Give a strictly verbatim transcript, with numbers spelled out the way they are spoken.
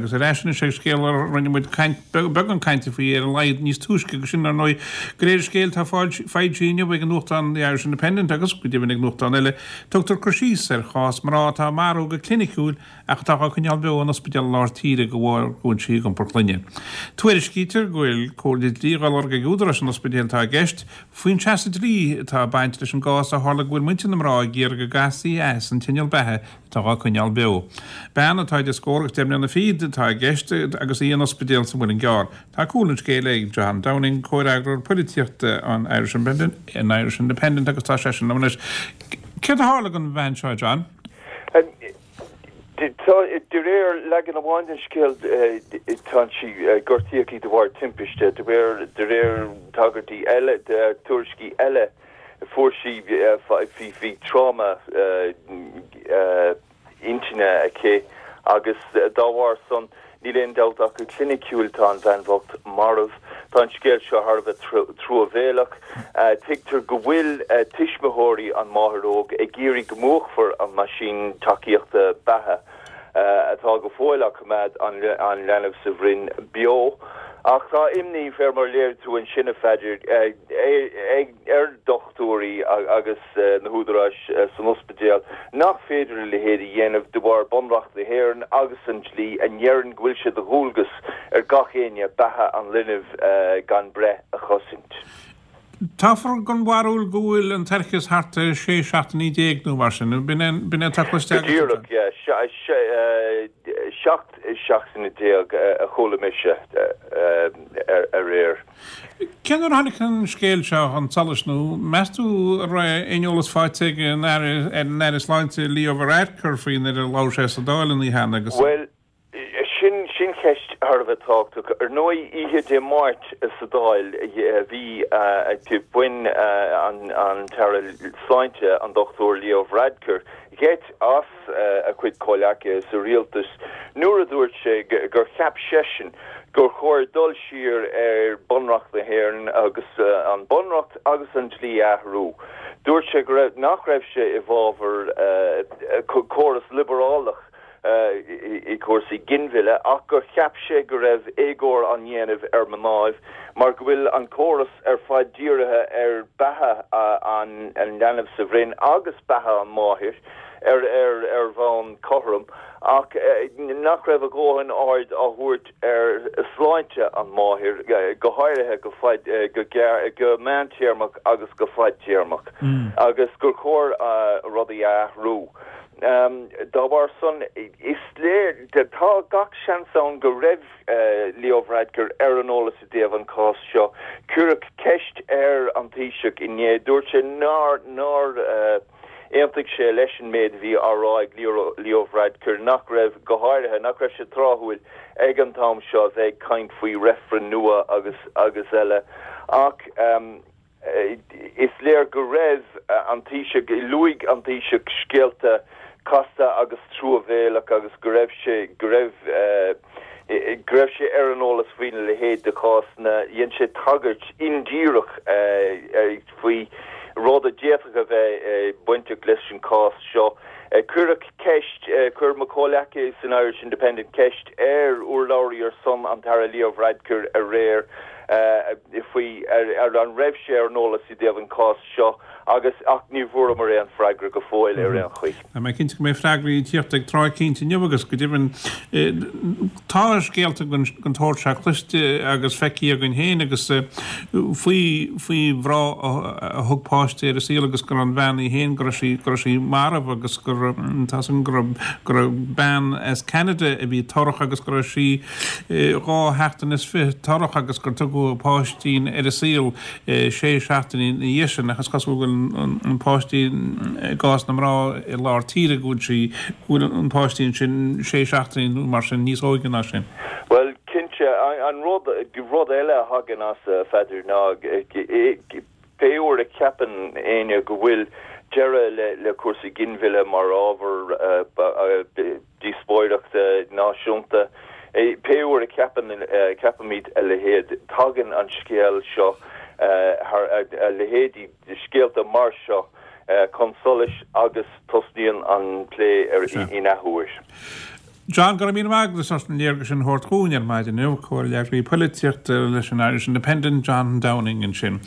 Agus ar ais anois ag scéal a rinne muid caint, beagán cainte faoi ar a laghad níos túisce agus sin ar ndóigh de réir scéil atá foilsithe inniu ag an nuachtán The Irish Independent agus go deimhin ag nuachtán eile, tugtar cur síos ar chás mná atá marbh go cliniciúil ach atá á coinneáil beo in ospidéal lár tíre de bharr go bhfuil sí ag iompar clainne. Tuairiscítear go bhfuil comhairle dlí á lorg ag údaráis an ospidéil atá i gceist faoin seasamh dlí atá ag baint leis an gcás ó tharla go bhfuil muintir na mná ag iarraidh go gcaithfí as an t-inneall beatha atá á coinneáil beo. Bean atá idir scór agus deich mbliana fichead atá i gceist agus í in ospidéal sa Mhuileann gCearr. Tá cúl an scéil ag John Downing, comhfhreagróir polaitíochta an Irish Independent, an Irish Independent agus tá seisean liom anois. Céard a tharla don bhean seo, John? De réir leagan amháin den scéal tá sí gortaíodh í de bharr timpiste, de réir de réir tagairtí eile tuairiscí eile fuair sí bhí tráma intinne aici agus dá bharr san níl aon dabht ach go cliniciúil tá an bhean bhocht marbh. Tá an scéal seo thar a bheith truamhéalach. Tuigtear go bhfuil tuismitheoirí an mháthair óg ag iarraidh go múchfar an meaisín tacaíochta beatha atá go fóill á coimeád an leanbh sa bhroinn beo. Ach tá imní fé mar léirigh tú ansin a Pheadair ag ar dochtúirí agus na húdaráis san ospidéal nach féidir a leithéid a dhéanamh de bharr Bunreacht na hÉireann agus an dlí a ndeireann go bhfuil sé de dhualgas ar gach éinne beatha an linbh gan breith a chosaint. Táthar den bharúil go bhfuil an toircheas thart ar sé seachtainí déag nó mar sin, b'in é atá cloiste agat? Go díreach, yeah. Seacht seachtaine déag a chuala mise aréir. Cén uair a tháinig an scéal seo chun solais nó meas tú an raibh aon eolas faighte ag an Aire Sláinte Leo Varadkar faoi nuair a labhair sé sa Dáil an oíche cheana agus. Bhuel, Sin sin ceist thar a bheith tábhachtach. Ar ndóigh, oíche Dé Máirt sa Dáil bhí bhain an tAire Sláinte, an Dochtúir Leo Varadkar, geit as a chuid comhleacaithe sa rialtas nuair a dúirt sé gur cheap seisean gur chóir dul siar ar Bunreacht na hÉireann agus an Bunreacht agus an dlí a athrú. Dúirt sé go raibh nach raibh sé i bhfabhar córas liobrálach i gcúrsaí ginmhilleadh ach gur cheap sé go raibh éagóir á ndéanamh ar mhnáibh mar go bhfuil an córas ar fad dírithe ar beatha an leanbh sa bhroinn agus beatha an mháthair ar ar ar bhonn cothrom ach nach raibh a dhóthain aird á thabhairt ar shláinte an mháthair go háirithe go fad go gearr go meántéarmach agus go fadtéarmach agus gur chóir rudaí a athrú. Dá bharr san, is léir, tá gach seans ann go raibh Leo Varadkar ar an eolas i dtaobh an cás seo. Cuireadh ceist ar an Taoiseach inné, dúirt sé nár nár aontaigh sé leis an méid a bhí á rá ag Leo Varadkar, nach raibh, go háirithe, nach raibh sé tráthúil ag an t-am seo a bheith ag caint faoi reifreann nua agus agus eile. Ach. Is léir go raibh an Taoiseach, luaigh an Taoiseach scéalta casta agus truamhéalach agus go raibh sé, go raibh, go raibh sé ar an eolas faoina leithéid de chásanna. Dhein sé tagairt indíreach faoi rud a d'fhéadfadh a bheith bainteach leis an cás seo. Cuireadh ceist, chuir mo chomhleacaithe san Irish Independent ceist ar urlabhraí ar son an tAire Leo Varadkar aréir faoi ar an raibh sé ar an eolas i dtaobh an cás seo agus ach ní bhfuaireamar aon freagra go fóill ar aon chaoi. Tá mé cinnte go mbeidh freagraí ag tíocht ag tráth eicínt inniu agus go deimhin tá scéalta den tsórt seo cloiste agus feicthe againn féin agus faoi faoi mhná a thug páiste ar an saol agus go raibh an bhean í féin go raibh sí go raibh sí marbh agus go tá san go raibh go raibh bean as Ceanada a bhí torrach agus go raibh sí dhá sheachtain is fiche torrach agus gur tugadh páistín ar an saol sé seachtaine ina dhiaidh sin ach is cosúil go bhfuil an páistín i gcás na mná i lár tíre go bhfuil sí go bhfuil an páistín sin sé seachtaine nó mar sin níos óige ná sin. Bhuel cinnte an rud rud eile a thagann as a Pheadair ná pé uair a cheapann éinne go bhfuil deireadh le le cúrsaí ginmhilleadh mar ábhar díospóireachta náisiúnta. Pé uair a cheapann ceapaimid a leithéid, tagann an scéal seo thar a leithéidí de scéalta mar seo chun solais agus tosnaíonn an plé air in athuair. John go raibh míle maith agat as an léargas sin a thabhairt dúinn ar maidin inniu comhfhreagraí polaitíochta leis an Irish Independent John Downing ansin.